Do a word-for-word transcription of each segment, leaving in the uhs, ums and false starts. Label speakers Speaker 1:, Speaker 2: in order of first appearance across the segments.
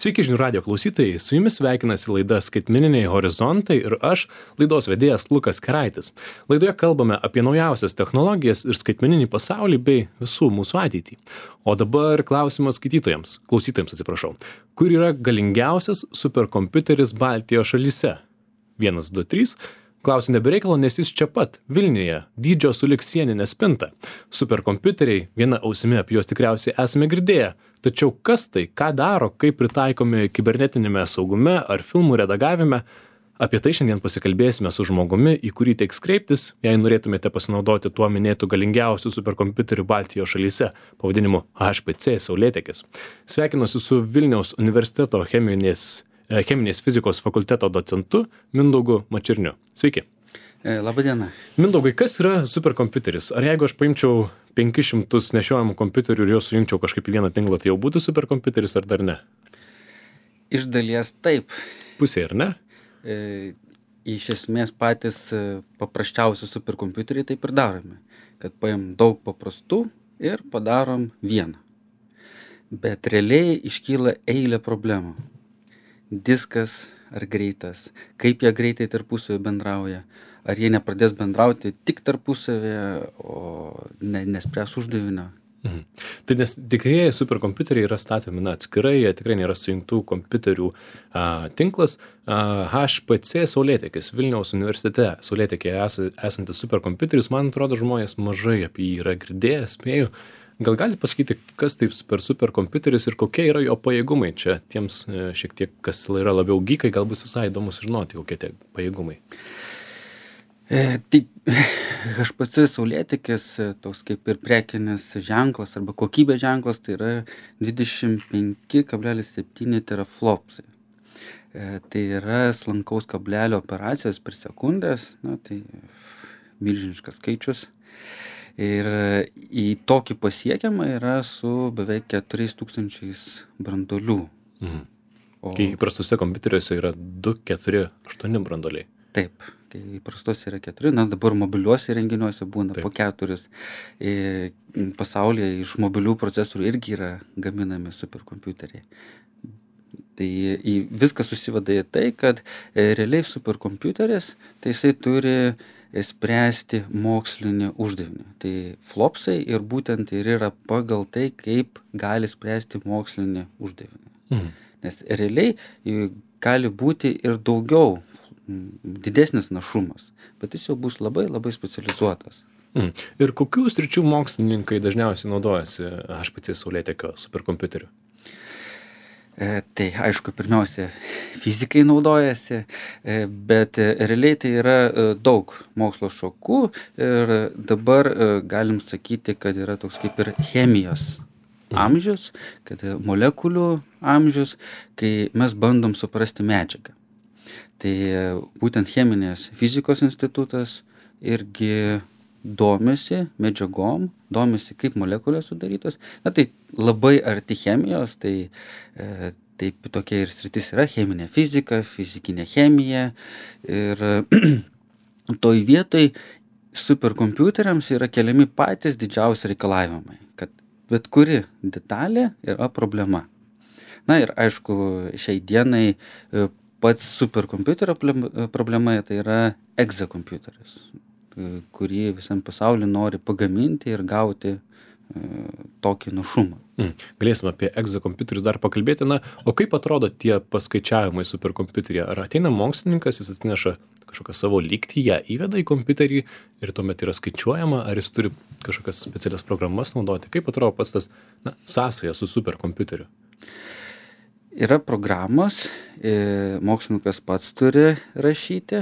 Speaker 1: Sveiki žinių radio klausytojai, su jumis sveikinasi laida Skaitmeniniai horizontai ir aš, laidos vedėjas Lukas Keraitis. Laidoje kalbame apie naujausias technologijas ir skaitmeninį pasaulį bei visų mūsų ateitį. O dabar klausimas skaitytojams, klausytojams atsiprašau. Kur yra galingiausias superkompiuteris Baltijos šalyse? vienas, du, trys. Klausiu nebereikalo, nes jis čia pat, Vilniuje, dydžio sulig sieninė spinta. Superkompiuteriai, viena ausimi apie juos tikriausiai esame girdėję. Tačiau kas tai, ką daro, kaip pritaikomi kibernetinėme saugume ar filmų redagavime, apie tai šiandien pasikalbėsime su žmogumi, į kurį teiks kreiptis, jei norėtumėte pasinaudoti tuo minėtų galingiausių superkompiuterių Baltijos šalyse, pavadinimu H P C Saulėtekis. Sveikinuosi su Vilniaus universiteto cheminės cheminės fizikos fakulteto docentu Mindaugu Mačerniu. Sveiki.
Speaker 2: Labą dieną.
Speaker 1: Mindaugai, kas yra superkompiuteris? Ar jeigu aš paimčiau penkis šimtus nešiojamų kompiuterių ir juos sujungčiau kažkaip į vieną tinklą, tai jau būtų superkompiuteris ar dar ne?
Speaker 2: Iš dalies taip.
Speaker 1: Pusė, ar ne?
Speaker 2: E, iš esmės patys paprasčiausi superkompiuteriai taip ir darome. Kad paim daug paprastų ir padarom vieną. Bet realiai iškyla eilė problemų. Diskas ar greitas, kaip jie greitai tarpusavį bendrauja, ar jie nepradės bendrauti tik tarpusavį, o ne, nespręs uždavinio.
Speaker 1: Mhm. Tai nes tikrieji superkompiuteriai yra statomi na, atskirai, jie tikrai nėra sujungtų kompiuterių a, tinklas. A, H P C Saulėtekis, Vilniaus universitete Saulėtekėje es, esantis superkompiuteris, man atrodo, žmonės mažai apie jį yra girdėję, spėju. Gal gali pasakyti, kas tai per superkompiuteris ir kokie yra jo pajėgumai? Čia tiems šiek tiek, kas yra labiau gykai, gal bus visai įdomu sužinoti, kokie tie pajėgumai.
Speaker 2: E, taip, H P C Saulėtekis, toks kaip ir prekinis ženklas arba kokybės ženklas, tai yra dvidešimt penki kablelis septyni teraflopsai. E, tai yra slankaus kablelio operacijos per sekundės, na, tai milžiniškas skaičius. Ir į tokį pasiekiamą yra su beveik keturiais tūkstančiais branduolių.
Speaker 1: Mhm. O... Kai įprastuose kompiuteriuose yra du, keturi, aštuoni branduoliai.
Speaker 2: Taip, kai įprastuose yra keturi, na dabar mobiliuose įrenginiuose būna Taip. po keturis. E, pasaulyje iš mobilių procesorių irgi yra gaminami superkompiuteriai. Tai į viskas susiveda į tai, kad e, realiai superkompiuteris, tai jisai turi spręsti mokslinį uždavinį. Tai flopsai ir būtent ir yra pagal tai, kaip gali spręsti mokslinį uždavinį.
Speaker 1: Mhm.
Speaker 2: Nes realiai gali būti ir daugiau, didesnis našumas, bet jis jau bus labai labai specializuotas.
Speaker 1: Mhm. Ir kokių sričių mokslininkai dažniausiai naudojasi H P C Saulėtekio superkompiuteriu?
Speaker 2: E, tai aišku, pirmiausia, fizikai naudojasi, e, bet e, realiai tai yra e, daug mokslo šakų ir dabar e, galim sakyti, kad yra toks kaip ir chemijos amžius, kad molekulių amžius, kai mes bandom suprasti medžiagą. Tai e, būtent cheminės fizikos institutas irgi domisi medžiagom, domisi kaip molekulės sudarytos. Na tai labai arti chemijos, tai e, taip tokia ir sritis yra cheminė fizika, fizikinė chemija. Ir toj vietoj superkompiuteriams yra keliami patys didžiausi reikalavimai, kad bet kuri detalė yra problema. Na ir aišku, šiai dienai pats superkompiuterio problema tai yra egzakompiuteris, kurį visam pasauliu nori pagaminti ir gauti e, tokį našumą.
Speaker 1: Mm. Galėsime apie egzakompiuterius dar pakalbėti. Na, o kaip atrodo tie paskaičiavimai superkompiuteryje? Ar ateina mokslininkas, jis atneša kažkokią savo lygtį, ją įveda į kompiuterį ir tuomet yra skaičiuojama, ar jis turi kažkokias specialias programas naudoti? Kaip atrodo pats tas na, sąsaja su superkompiuteriu?
Speaker 2: Yra programos, e, mokslininkas pats turi rašyti,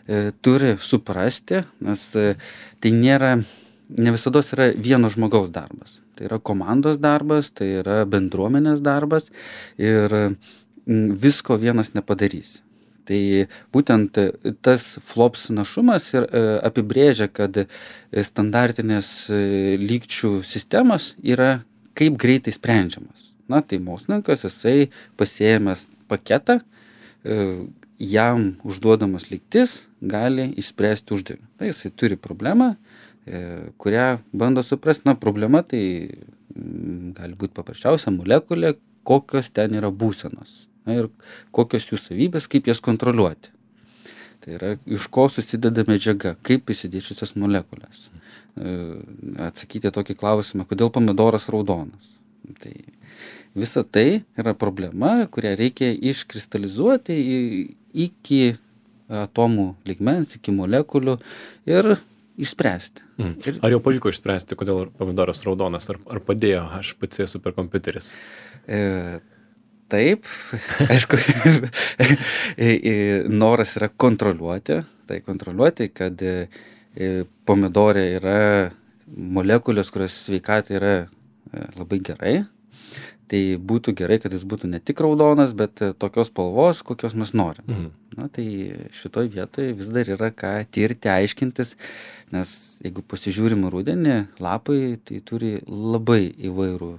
Speaker 2: e, turi suprasti, nes e, tai nėra, ne visados yra vieno žmogaus darbas. Tai yra komandos darbas, tai yra bendruomenės darbas ir m, visko vienas nepadarys. Tai būtent tas flops našumas ir e, apibrėžia, kad standartinės e, lygčių sistemas yra kaip greitai sprendžiamas. Na, tai mokslininkas, jisai pasiėmęs paketą, jam užduodamas lygtis gali išspręsti uždavinį. Tai jisai turi problemą, kurią bando suprasti. Na, problema tai gali būti paprasčiausia molekulė, kokios ten yra būsenos. Na, ir kokios jų savybės, kaip jas kontroliuoti. Tai yra, iš ko susideda medžiaga, kaip įsidėčiusios molekulės. Atsakyti tokį klausimą, kodėl pomidoras raudonas. Tai visa tai yra problema, kurią reikia iškristalizuoti iki atomų lygmens, iki molekulių ir išspręsti.
Speaker 1: Mm. Ir... Ar jau pavyko išspręsti, kodėl pomidoras raudonas, ar, ar padėjo H P C superkompiuteris?
Speaker 2: E, taip, aišku, noras yra kontroliuoti, tai kontroliuoti, kad pomidorė yra molekulės, kurios sveikatai yra labai gerai. Tai būtų gerai, kad jis būtų ne tik raudonas, bet tokios spalvos, kokios mes norim. Mhm. Na, tai šitoj vietoje vis dar yra ką tirti, aiškintis, nes jeigu pasižiūrim rudenį, lapai tai turi labai įvairių,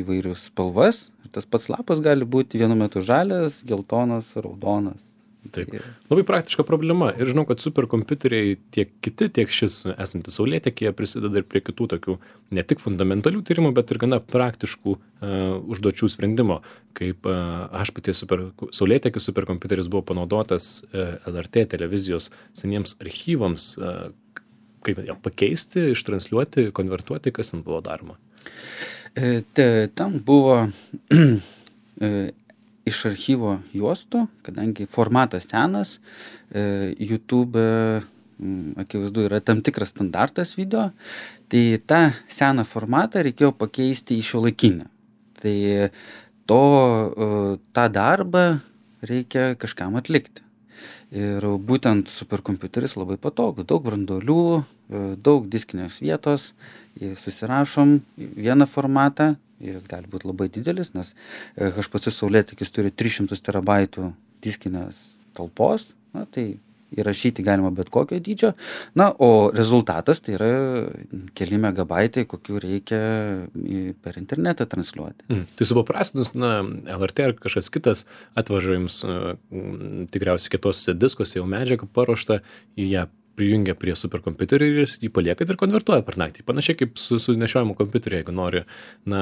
Speaker 2: įvairius spalvas. Ir tas pats lapas gali būti vienu metu žalias, geltonas, raudonas.
Speaker 1: Taip. Labai praktiška problema. Ir žinau, kad superkompiuteriai tiek kiti, tiek šis esantis saulėtekyje prisideda ir prie kitų tokių ne tik fundamentalių tyrimų, bet ir gana praktiškų uh, užduočių sprendimo. Kaip uh, H P C super, saulėtekis superkompiuteris buvo panaudotas uh, L R T televizijos seniems archyvams, uh, kaip ją pakeisti, ištransliuoti, konvertuoti, kas ten buvo daroma.
Speaker 2: E, te, tam buvo e, iš archyvo juostų, kadangi formatas senas, e, YouTube, m, akivaizdu, yra tam tikras standartas video, tai tą seną formatą reikėjo pakeisti į šiuolaikinį. Tai to, e, tą darbą reikia kažkam atlikti. Ir būtent superkompiuteris labai patogu, daug branduolių, e, daug diskinės vietos, susirašom vieną formatą. Jis gali būti labai didelis, nes H P C saulėtekis turi tris šimtus terabaitų diskinės talpos, na, tai įrašyti galima bet kokio dydžio. Na, o rezultatas tai yra keli megabaitai, kokių reikia per internetą transliuoti.
Speaker 1: Mm. Tai supaprastinus, na, L R T ar kažkas kitas atvaža jums m, tikriausiai kitose diskuose jau medžiagą paruoštą, į ją prijungia prie superkompiuterio ir jį palieka ir konvertuoja per naktį. Panašiai kaip su, su nešiojimu kompiuteriu, jeigu nori, na,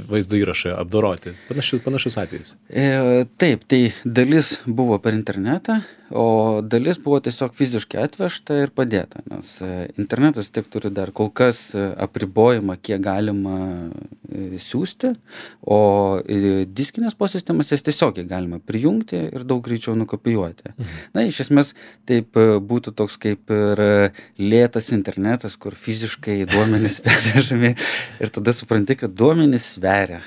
Speaker 1: vaizdo įrašą apdoroti. Panašus, panašus atvejis.
Speaker 2: E, taip, tai dalis buvo per internetą, o dalis buvo tiesiog fiziškai atvežta ir padėta. Nes internetas tiek turi dar kol kas apribojimą, kiek galima siųsti, o diskinės posistemas jas tiesiog galima prijungti ir daug greičiau nukopijuoti. Mhm. Na, iš esmės, taip būtų toks kaip ir lėtas internetas, kur fiziškai duomenys pervežami ir tada supranti, kad duomenys sveria.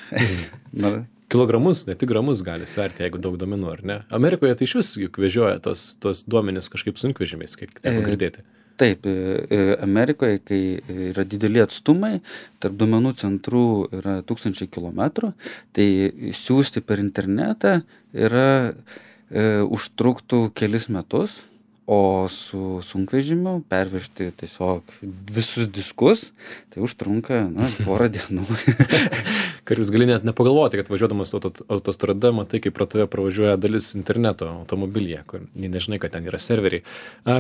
Speaker 2: Na,
Speaker 1: kilogramus, ne tik gramus gali sverti, jeigu daug duomenų, ar ne? Amerikoje tai iš vis juk vežioja tos, tos duomenys kažkaip sunkvežimiais, kiek teko girdėti.
Speaker 2: Taip, Amerikoje, kai yra dideli atstumai, tarp duomenų centrų yra tūkstančiai kilometrų, tai siųsti per internetą yra e, užtruktų kelis metus, o su sunkvežimiu pervežti tiesiog visus diskus, tai užtrunka, na, porą dienų.
Speaker 1: Kartais gali net nepagalvoti, kad važiuodamas autostrada, matai, kaip pro tave pravažiuoja dalis interneto automobilyje, kur nežinai, kad ten yra serveriai.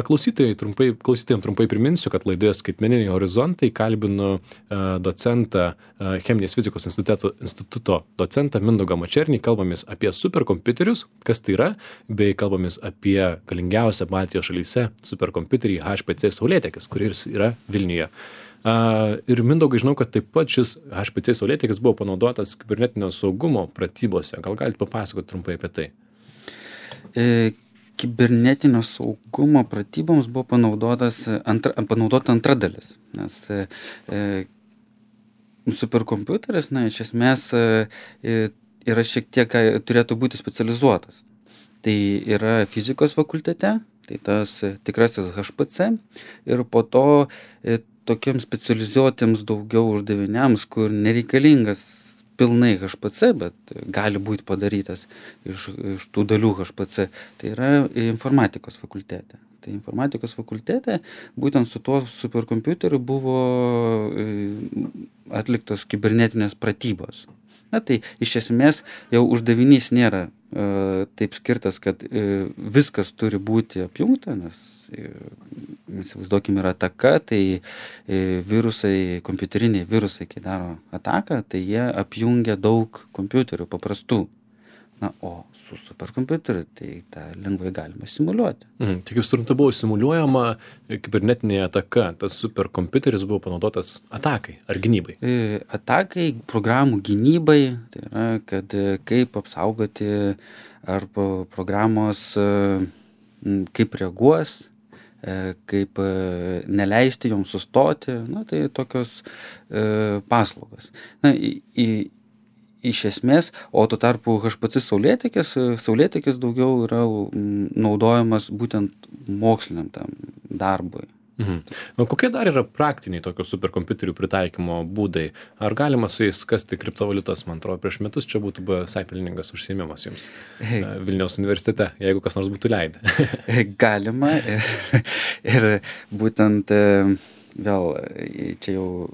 Speaker 1: Klausytojai trumpai, klausytojams trumpai priminsiu, kad laidoje Skaitmeniniai horizontai kalbinu docentą, Cheminės fizikos instituto, instituto docentą Mindaugą Mačernį, kalbamės apie superkompiuterius, kas tai yra, bei kalbamės apie galingiausią Baltijos šalyse superkompiuterį H P C saulėtekis, kuris yra Vilniuje. Uh, ir Mindaugai, žinau, kad taip pat šis H P C saulėtekis buvo panaudotas kibernetinio saugumo pratybose. Gal galite papasakoti trumpai apie tai?
Speaker 2: E, kibernetinio saugumo pratyboms buvo panaudotas antra, panaudota antra dalis, nes e, superkompiuteris, na, iš esmės e, yra šiek tiek, turėtų būti specializuotas. Tai yra fizikos fakultete, tai tas tikrasis H P C, ir po to e, tokiems specializuotiems daugiau uždaviniams, kur nereikalingas pilnai H P C, bet gali būti padarytas iš, iš tų dalių H P C, tai yra informatikos fakultete. Tai informatikos fakultete būtent su tuo superkompiuteriu buvo atliktos kibernetinės pratybos. Na tai iš esmės jau uždavinys nėra taip skirtas, kad viskas turi būti apjungta, nes įsivaizduokime yra ataka, tai virusai, kompiuteriniai virusai, kai daro ataką, tai jie apjungia daug kompiuterių paprastų. Na, o su superkompiuteriu tai tą lengvai galima simuliuoti.
Speaker 1: Mhm. Tai kaip suprantu, buvo simuliuojama kibernetinė ataka, tas superkompiuteris buvo panaudotas atakai ar gynybai?
Speaker 2: Atakai, programų gynybai, tai yra, kad kaip apsaugoti arba programos kaip reaguos, kaip neleisti joms sustoti, na, tai tokios paslaugos. Na, į, į iš esmės, o tuo tarpu H P C saulėtekis, saulėtekis daugiau yra naudojamas būtent moksliniam tam darbui.
Speaker 1: Mhm. O kokie dar yra praktiniai tokio superkompiuterių pritaikymo būdai? Ar galima su jais kasti kriptovaliutas? Man atrodo, prieš metus čia būtų buvęs pelningas užsiėmimas jums Vilniaus universitete, jeigu kas nors būtų leidę.
Speaker 2: Galima ir, ir būtent vėl čia jau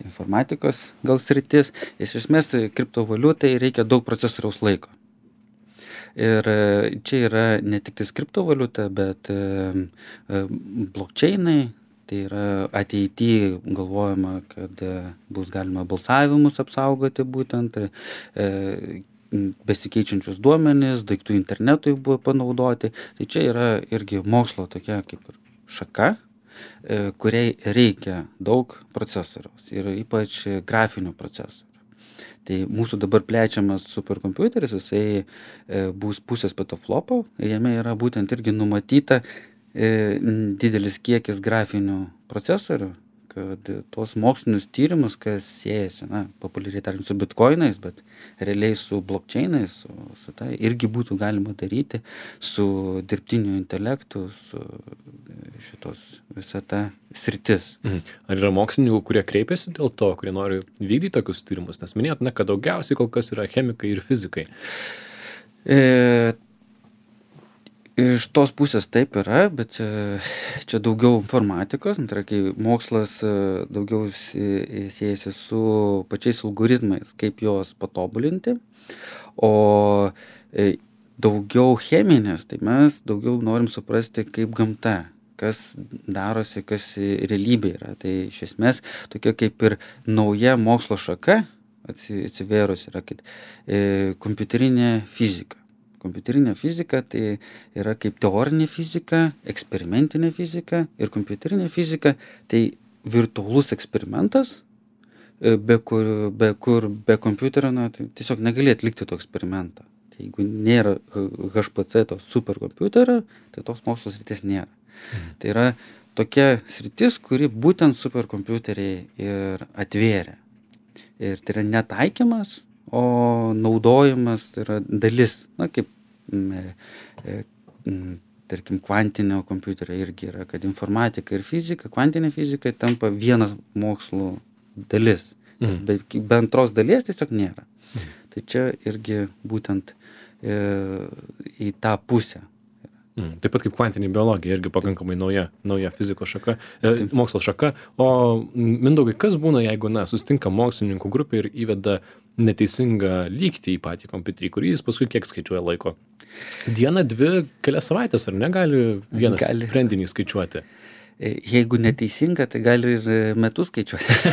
Speaker 2: informatikos gal sritis. Iš esmės kriptovaliutai reikia daug procesoriaus laiko. Ir čia yra ne tik tai kriptovaliuta, bet blockchainai, tai yra ateityje galvojama, kad bus galima balsavimus apsaugoti būtent, besikeičiančius duomenis, daiktų internetui buvo panaudoti. Tai čia yra irgi mokslo tokia kaip ir šaka, kuriai reikia daug procesoriaus ir ypač grafinių procesorių. Tai mūsų dabar plečiamas superkompiuteris, jisai bus pusės petaflopo, jame yra būtent irgi numatyta didelis kiekis grafinių procesorių, kad tuos mokslinius tyrimus, kas siejasi, na, populiariai tariant, su bitkoinais, bet realiai su blockchainais, su, su tai irgi būtų galima daryti su dirbtiniu intelektu, su šitos visa ta sritis.
Speaker 1: Mhm. Ar yra mokslininkų, kurie kreipiasi dėl to, kurie nori vykdyti tokius tyrimus? Nes minėjot, ne, kad daugiausiai kol kas yra chemikai ir fizikai.
Speaker 2: E, Iš tos pusės taip yra, bet čia, čia daugiau informatikos, tai yra, kai mokslas daugiau siejasi su pačiais algoritmais, kaip juos patobulinti, o daugiau cheminės, tai mes daugiau norim suprasti kaip gamta, kas darosi, kas realybė yra. Tai iš esmės tokia kaip ir nauja mokslo šaka atsivėrus yra, kad e, kompiuterinė fizika. Kompiuterinė fizika tai yra kaip teorinė fizika, eksperimentinė fizika ir kompiuterinė fizika tai virtualus eksperimentas, be kur be, kur, be kompiuterio na, tai tiesiog negali atlikti to eksperimentą. Tai jeigu nėra H P C to superkompiuterio, tai tos mokslo sritis nėra. Mhm. Tai yra tokia sritis, kuri būtent superkompiuteriai ir atvėrė. Ir tai yra netaikymas, o naudojimas tai yra dalis, na, kaip, e, e, tarkim, kvantinio kompiuterio irgi yra, kad informatika ir fizika, kvantinė fizika tampa vienas mokslo dalis, mhm. bet be antros dalies tiesiog nėra. Mhm. Tai čia irgi būtent e, į tą pusę.
Speaker 1: Mm, taip pat kaip kvantinė biologija, irgi pakankamai nauja, nauja fizikos šaka, e, mokslo šaka. O Mindaugai, kas būna, jeigu, na, susitinka mokslininkų grupė ir įveda neteisingą lygtį į patį kompiuterį, kurį jis paskui kiek skaičiuoja laiko? Dieną, dvi, kelias savaitės, ar negali vienas gali. Sprendinį skaičiuoti?
Speaker 2: Jeigu neteisinga, tai gali ir metus skaičiuoti.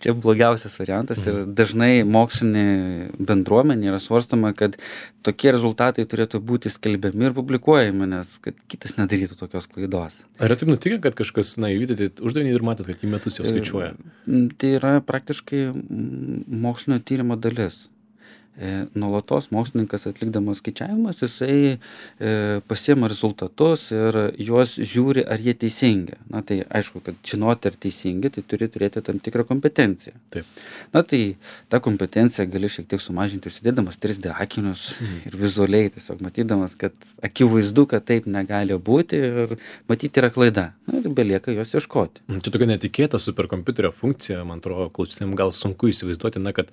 Speaker 2: Čia blogiausias variantas ir dažnai mokslinė bendruomenė yra svarstama, kad tokie rezultatai turėtų būti skelbiami ir publikuojami, nes kad kitas nedarytų tokios klaidos.
Speaker 1: Ar taip nutikė, kad kažkas, na, įvykdėte uždavinį ir matot, kad į metus jau skaičiuoja?
Speaker 2: Tai yra praktiškai mokslinio tyrimo dalis. Nuolatos mokslininkas atlikdamas skaičiavimas, jisai e, pasiema rezultatus ir juos žiūri, ar jie teisingi. Na tai aišku, kad žinoti, ar teisingi, tai turi turėti tam tikrą kompetenciją.
Speaker 1: Taip.
Speaker 2: Na tai tą kompetenciją gali šiek tiek sumažinti užsidėdamas trys D akinius mhm. ir vizualiai tiesiog matydamas, kad akivaizdu, kad taip negali būti ir matyti yra klaida. Na ir belieka jos ieškoti.
Speaker 1: Čia tokia netikėta superkompiuterio funkcija, man atrodo, klausytėm gal sunku įsivaizduoti, na, kad,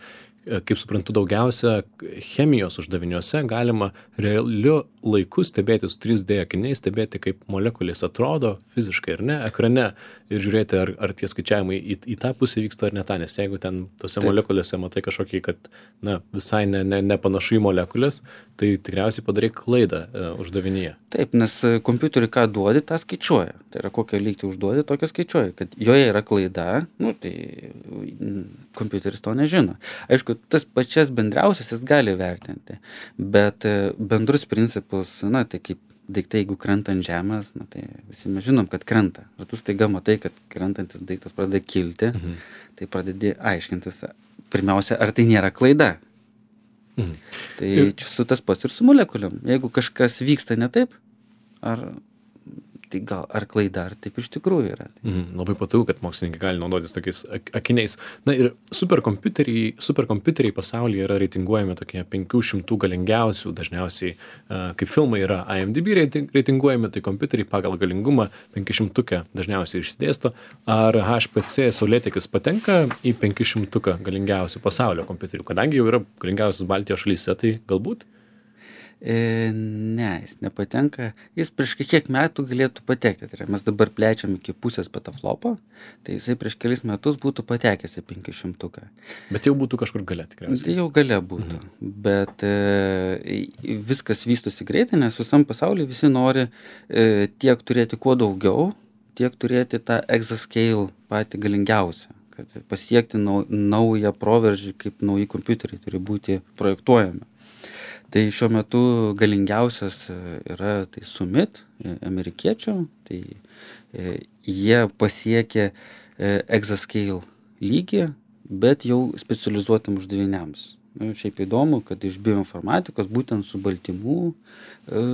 Speaker 1: kaip suprantu, daugiausia tokiuose chemijos uždaviniuose galima realiu laiku stebėti su trys D akiniais, stebėti, kaip molekulės atrodo fiziškai ar ne, ekrane ir žiūrėti, ar, ar tie skaičiavimai į, į tą pusę vyksta ar ne tą, nes jeigu ten tose
Speaker 2: Taip.
Speaker 1: molekulėse matai kažkokį, kad na, visai ne, ne, nepanašu į molekulės, tai tikriausiai padarai klaidą e, uždavinyje.
Speaker 2: Taip, nes kompiuteriui ką duodi, tą skaičiuoja. Tai yra kokią lygtį užduodi, tokią skaičiuoja. Kad joje yra klaida, nu, tai kompiuteris to nežino. Aišku, tas pačias bendriausias jis gali vertinti, bet bendrus principus, na, tai kaip daiktai, jeigu krenta ant žemės, na, tai visi mes žinom, kad krenta. Ir tu staiga matai, kad krentantis daiktas pradeda kilti, mhm. tai pradedi aiškintis, pirmiausia, ar tai nėra klaida. Mhm. Tai ir čia su tas pats ir su molekuliam. Jeigu kažkas vyksta ne taip, ar tai gal ar klaida, ar taip iš tikrųjų yra.
Speaker 1: Mhm. Labai patogu, kad mokslininkai gali naudotis tokiais akiniais. Na ir superkompiuteriai, superkompiuteriai pasaulyje yra reitinguojami tokie penkių šimtų galingiausių, dažniausiai kaip filmai yra I M D B reitinguojami, tai kompiuteriai pagal galingumą penkišimtukę dažniausiai išsidėsto. Ar H P C Saulėtekis patenka į penkišimtuką galingiausių pasaulio kompiuterių? Kadangi jau yra galingiausias Baltijos šalyse, tai galbūt?
Speaker 2: E, ne, jis nepatenka. Jis prieš kiek metų galėtų patekti. Tai yra, mes dabar plečiam iki pusės petaflopo, tai jisai prieš kelis metus būtų patekęs į penkišimtuką.
Speaker 1: Bet jau būtų kažkur gale tikriausiai.
Speaker 2: Tai jau gale būtų. Mhm. Bet e, viskas vystosi greitai, nes visam pasaulyje visi nori e, tiek turėti kuo daugiau, tiek turėti tą exascale patį galingiausią. Kad pasiekti nau, naują proveržį, kaip nauji kompiuteriai turi būti projektuojami. Tai šiuo metu galingiausias yra tai Summit, amerikiečių, tai e, jie pasiekė e, exascale lygį, bet jau specializuotam uždaviniams. Nu, šiaip įdomu, kad iš bioinformatikos būtent su baltymų e,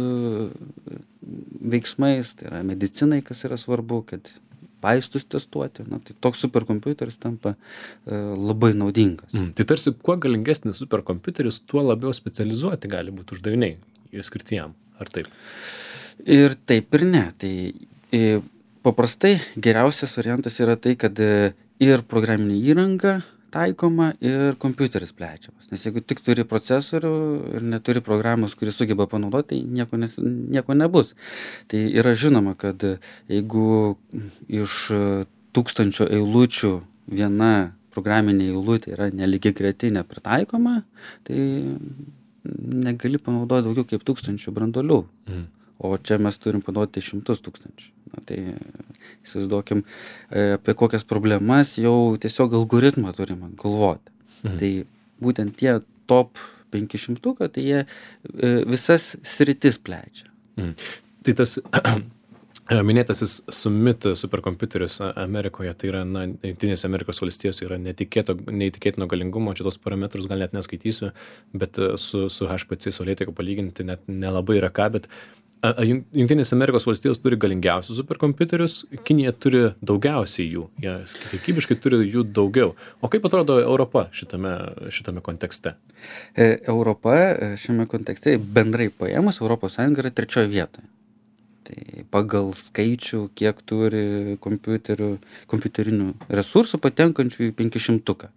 Speaker 2: veiksmais, tai yra medicinai, kas yra svarbu, kad vaistus testuoti, na, tai toks superkompiuteris tampa e, labai naudingas.
Speaker 1: Mm, tai tarsi, kuo galingesnis superkompiuteris, tuo labiau specializuoti gali būti uždaviniai skirti jam, ar taip?
Speaker 2: Ir taip ir ne. Tai e, paprastai geriausias variantas yra tai, kad e, ir programinė įranga taikoma ir kompiuteris plečiamas. Nes jeigu tik turi procesorių ir neturi programos, kuris sugeba panaudoti, tai nieko, nes, nieko nebus. Tai yra žinoma, kad jeigu iš tūkstančio eilučių viena programinė eilutė yra nelygiagretinė pritaikoma, tai negali panaudoti daugiau kaip tūkstančių branduolių. Mm. O čia mes turim panaudoti šimtus tūkstančių. Na, tai įsivaizduokim, apie kokias problemas jau tiesiog algoritmą turime galvoti. Mhm. Tai būtent tie top penkišimtuką, tai jie visas sritis plečia.
Speaker 1: Mhm. Tai tas minėtasis Summit superkompiuteris Amerikoje, tai yra, na, Jungtinėse Amerikos valstijos yra netikėto, neįtikėtino galingumo, čia tos parametrus gal net neskaitysiu, bet su, su H P C Saulėtekiu palyginti net nelabai yra ką, bet Jungtinės Amerikos valstijos turi galingiausius superkompiuterius, Kinija turi daugiausiai jų, jie kiekybiškai turi jų daugiau. O kaip atrodo Europa šitame, šitame kontekste?
Speaker 2: E, Europa šiame kontekste bendrai paėmus, Europos Sąjunga yra trečioje vietoje. Tai pagal skaičių, kiek turi kompiuterių, kompiuterinių resursų patenkančių į penkišimtuką.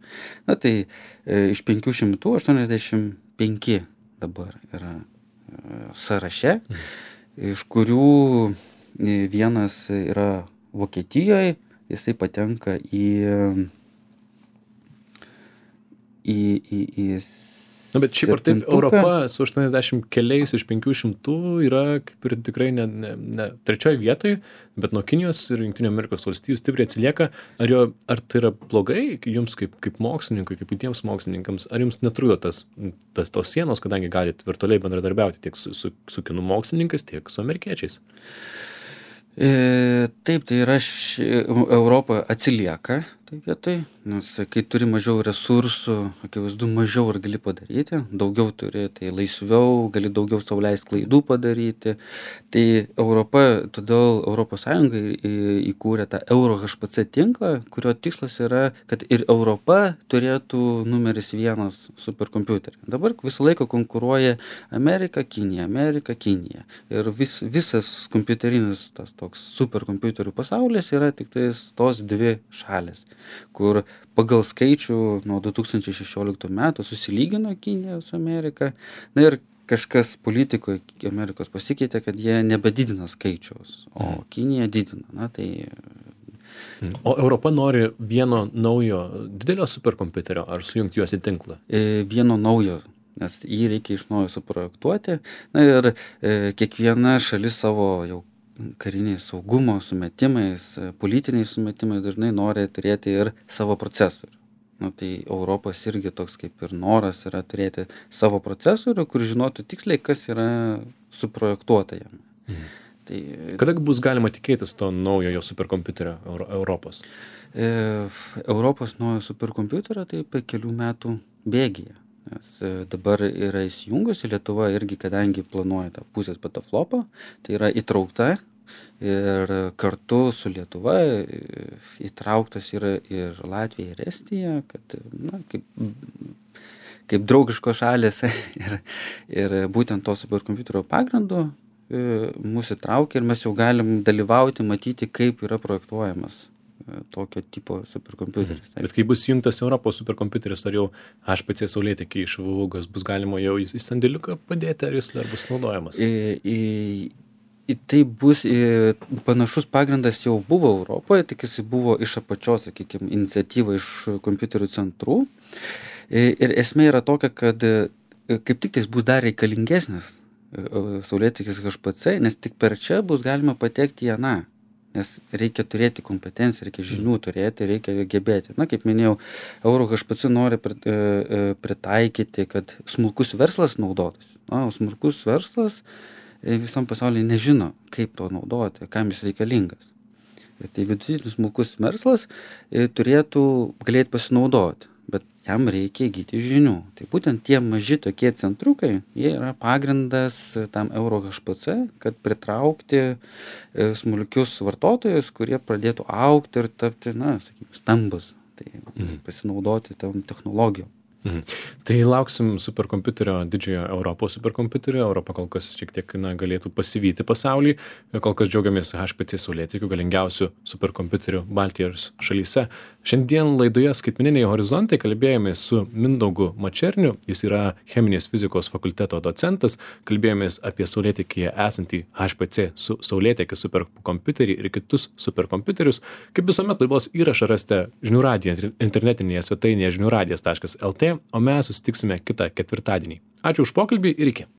Speaker 2: Na tai e, iš penkių šimtų aštuoniasdešimt penki dabar yra e, sąraše. Mhm. Iš kurių vienas yra Vokietijoje, jisai patenka į, į, į, į
Speaker 1: Na, bet šiaip ar taip Europa su aštuoniasdešimt keliais iš penkių šimtų yra kaip ir tikrai ne, ne, ne trečioje vietoje, bet nuo Kinijos ir Jungtinių Amerikos valstijų stipriai atsilieka. Ar, jo, ar tai yra blogai jums kaip, kaip mokslininkui, kaip kitiems mokslininkams, ar jums netrudo tas, tas tos sienos, kadangi galite virtualiai bendradarbiauti tiek su, su, su kinų mokslininkais, tiek su amerikiečiais?
Speaker 2: E, taip, tai yra ši, Europa atsilieka tai vietoj, nes kai turi mažiau resursų, akivaizdu, mažiau ir gali padaryti, daugiau turi, tai laisviau, gali daugiau sau leisti klaidų padaryti. Tai Europa, todėl Europos Sąjunga įkūrė tą Euro H P C tinklą, kurio tikslas yra, kad ir Europa turėtų numeris vienas superkompiuterį. Dabar visą laiką konkuruoja Amerika, Kinija, Amerika, Kinija. Ir vis, visas kompiuterinis tas toks superkompiuterių pasaulis yra tik tais tos dvi šalis. kur pagal skaičių nuo du tūkstančiai šešioliktų metų susilygino Kinija su Amerika. Na ir kažkas politikoje Amerikos pasikeitė, kad jie nebedidina skaičiaus, o
Speaker 1: Mhm.
Speaker 2: Kinija didina. Na tai
Speaker 1: O Europa nori vieno naujo didelio superkompiuterio ar sujungti juos į tinklą?
Speaker 2: e, vieno naujo, nes jį reikia iš naujo suprojektuoti. Na ir e, kiekviena šalis savo jau kariniais saugumo sumetimais, e, politiniais sumetimais dažnai nori turėti ir savo procesorių. Na tai Europos irgi toks kaip ir noras yra turėti savo procesorių, kur žinotų tiksliai, kas yra suprojektuota jame.
Speaker 1: Mhm.
Speaker 2: Tai
Speaker 1: Kada bus galima tikėtis to naujojo superkompiuterio Euro- Europos?
Speaker 2: e, Europos naujo superkompiuterio tai po kelių metų bėgyje. Nes e, dabar yra įsijungusi Lietuva irgi, kadangi planuoja tą pusės petaflopą, tai yra įtraukta ir kartu su Lietuva e, įtrauktas yra ir Latvija, ir Estija, kad na, kaip, kaip draugiškos šalys ir, ir būtent to superkompiuterio pagrindu e, mus įtraukia ir mes jau galim dalyvauti, matyti, kaip yra projektuojamas e, tokio tipo superkompiuteris.
Speaker 1: Bet kai bus jungtas Europos superkompiuteris, ar jau H P C saulėtekiai iš Vuvugos bus galima jau į į sandėliuką padėti, ar jis dar bus naudojamas?
Speaker 2: į, į, į tai bus į, panašus pagrindas jau buvo Europoje, tik jis buvo iš apačios, sakykime, iniciatyva iš kompiuterių centrų. I, ir esmė yra tokia, kad e, kaip tik tais bus dar reikalingesnis e, e, saulėtekis H P C, nes tik per čia bus galima patekti į aną. Nes reikia turėti kompetenciją, reikia žinių turėti, reikia gebėti. Na, kaip minėjau, Euro H P C nori prit- e, e, pritaikyti, kad smulkus verslas naudotųsi. Na, o smulkus verslas e, visam pasaulyje nežino, kaip to naudoti, kam jis reikalingas. Ir tai vidutinis smulkus verslas e, turėtų galėti pasinaudoti, bet jam reikia įgyti žinių. Tai būtent tie maži tokie centrukai, jie yra pagrindas tam Euro H P C, kad pritraukti e, smulkius vartotojus, kurie pradėtų augti ir tapti, na, sakykime, stambus. Tai
Speaker 1: Mhm.
Speaker 2: pasinaudoti tom technologijom.
Speaker 1: Mhm. Tai lauksim superkompiuterio, didžiojo Europos superkompiuterio. Europa kol kas šiek tiek na, galėtų pasivyti pasaulį. Kol kas džiaugiamės H P C saulėtekiu, galingiausių superkompiuterių Baltijos šalyse. Šiandien laidoje Skaitmeniniai horizontai kalbėjomės su Mindaugu Mačerniu. Jis yra cheminės fizikos fakulteto docentas. Kalbėjomės apie saulėtekyje esantį H P C su saulėtekio superkompiuterį ir kitus superkompiuterius. Kaip visuomet laidos įrašą rasite žinių radijo internetinėje svetainėje žinių radijas taškas lt, o mes susitiksime kitą ketvirtadienį. Ačiū už pokalbį ir iki.